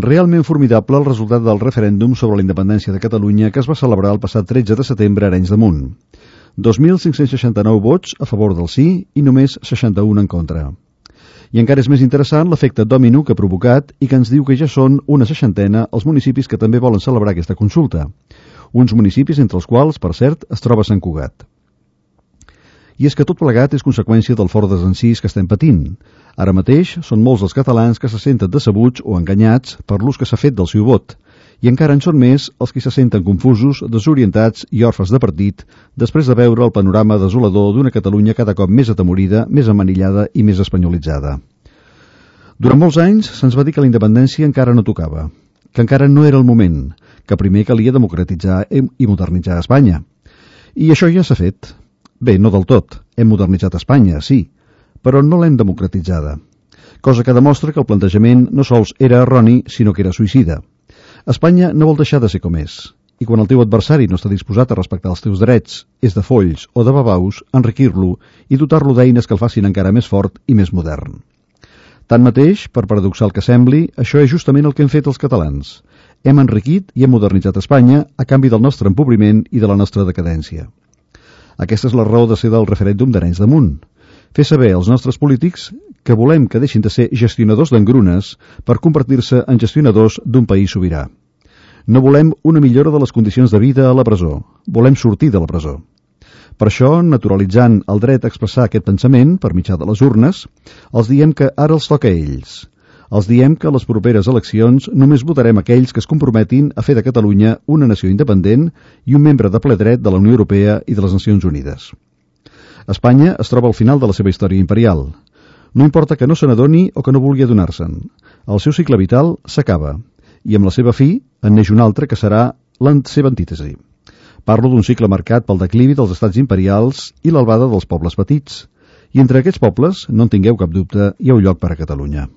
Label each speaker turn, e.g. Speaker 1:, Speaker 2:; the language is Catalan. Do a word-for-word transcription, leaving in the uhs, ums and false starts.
Speaker 1: Realment formidable el resultat del referèndum sobre la independència de Catalunya que es va celebrar el passat tretze de setembre a Arenys de Munt. dos mil cinc-cents seixanta-nou vots a favor del sí i només seixanta-un en contra. I encara és més interessant l'efecte dòmino que ha provocat i que ens diu que ja són una seixantena els municipis que també volen celebrar aquesta consulta. Uns municipis entre els quals, per cert, es troba Sant Cugat. I és que tot plegat és conseqüència del fort desencís que estem patint. Ara mateix són molts els catalans que se senten decebuts o enganyats per l'ús que s'ha fet del seu vot, i encara en són més els que se senten confusos, desorientats i orfes de partit després de veure el panorama desolador d'una Catalunya cada cop més atemorida, més amanillada i més espanyolitzada. Durant molts anys se'ns va dir que la independència encara no tocava, que encara no era el moment, que primer calia democratitzar i modernitzar Espanya. I això ja s'ha fet. Bé, no del tot. Hem modernitzat Espanya, sí, però no l'hem democratitzada. Cosa que demostra que el plantejament no sols era erroni, sinó que era suïcida. Espanya no vol deixar de ser com és, i quan el teu adversari no està disposat a respectar els teus drets, és de folls o de babaus, enriquir-lo i dotar-lo d'eines que el facin encara més fort i més modern. Tanmateix, per paradoxal que sembli, això és justament el que hem fet els catalans. Hem enriquit i hem modernitzat Espanya a canvi del nostre empobriment i de la nostra decadència. Aquesta és la raó de ser del referèndum d'Arenys de Munt. Fer saber als nostres polítics que volem que deixin de ser gestionadors d'engrunes per convertir-se en gestionadors d'un país sobirà. No volem una millora de les condicions de vida a la presó. Volem sortir de la presó. Per això, naturalitzant el dret a expressar aquest pensament per mitjà de les urnes, els diem que ara els toca a ells. Els diem que a les properes eleccions només votarem aquells que es comprometin a fer de Catalunya una nació independent i un membre de ple dret de la Unió Europea i de les Nacions Unides. Espanya es troba al final de la seva història imperial. No importa que no se n'adoni o que no vulgui adonar-se'n. El seu cicle vital s'acaba i amb la seva fi en neix un altre que serà la seva antítesi. Parlo d'un cicle marcat pel declivi dels estats imperials i l'albada dels pobles petits. I entre aquests pobles, no en tingueu cap dubte, hi ha un lloc per a Catalunya.